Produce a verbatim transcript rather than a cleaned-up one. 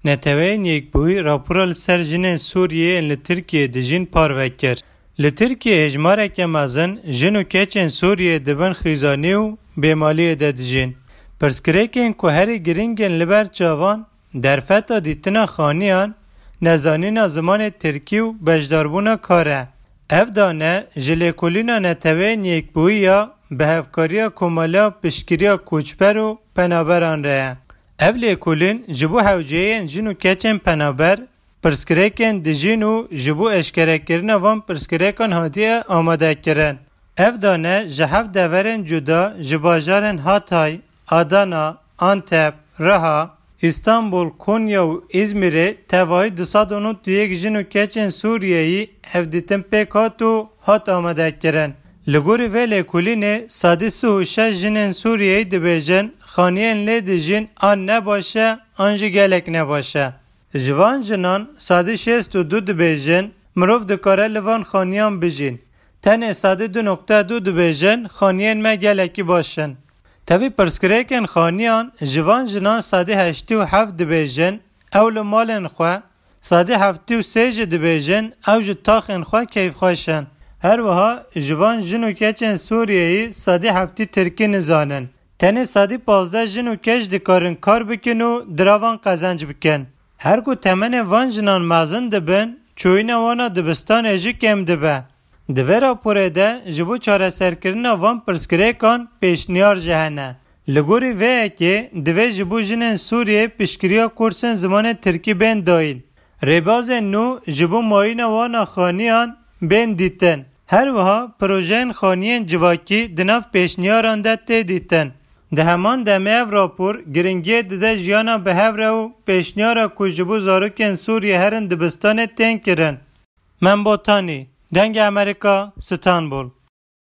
Neteweyên Yekbûyî rapora li ser jinên Sûriyê yên li Tirkiyê dijîn parve kir. Li Tirkiyê hejmareke mezin jin û keçên Sûriyê dibin xîzanî û bêmaliyê de dijîn. Pirsgirêkên ku herî giring in li ber çavan, derfeta dîtina xaniyan, nezanîna zimanê tirkî û beşdarbûna kar e. Ev dane ji lêkolîna Neteweyên Yekbûyî ya bi hevkariya Komala Piştgiriya Koçber û Penaberan re ye. Ev lêkolîn ji bo hewceyên jin û keçên penaber, pirsgirêkên dijîn û ji bo eşkerekirina van pirsgirêkan hatiye amadekirin. Ev dane ji heft deverên cuda ji bajarên Hatay, Adana, Antep, Riha, Îstanbul, Konya û Îzmîrê tevayî du sed û nod û yek jin û keçên Sûriyeyî hevdîtin pêk hat û hat amadekirin. Li gorî vê lêkolînê sedî sî û şeş jinên Sûriyeyî dibêjin, xaniyên lê dijîn an ne baş e an jî gelek ne baş e. Ji van jinan sedî şêst û du dibêjin, mirov dikare li van xaniyan bijîn. Tenê sedî du nokte du dibêjin, xaniyên me gelekî baş in. Tevî pirsgirêkên xaniyan ji van jinan sedî heştî û heft dibêjin, ew li malên xwe, sedî heftî û sê jî dibêjin, ew ji taxên xwe keyfxweş in. Her wiha ji van jin û keçên Sûriyeyî sedî heftî tirkî nizanin. Tenê sedî pazdeh jin û keç dikarin kar bikin û diravan qezenc bikin. Her ku temenê van jinan mezin dibin, çûyîna wan a dibistanê jî kêm dibe. Di vê raporê de ji bo çareserkirina van pirsgirêkan pêşniyar jî hene. Li gorî vê yekê divê ji bo jinên Sûriyê piştgiriya kursên zimanê tirkî bên dayîn. Rêbazên nû ji bo mayîna wan a xaniyan bên dîtin. Her wiha projeyên xaniyên civakî di nav pêşniyaran de tê dîtin. Di heman demê ev rapor giringiyê dide jiyana bi hev re û pêşniyara ku ji bo zarokên Sûriyê herin dibistanê tên kirin. Membotanî, Dengê Amerîka, Stenbol.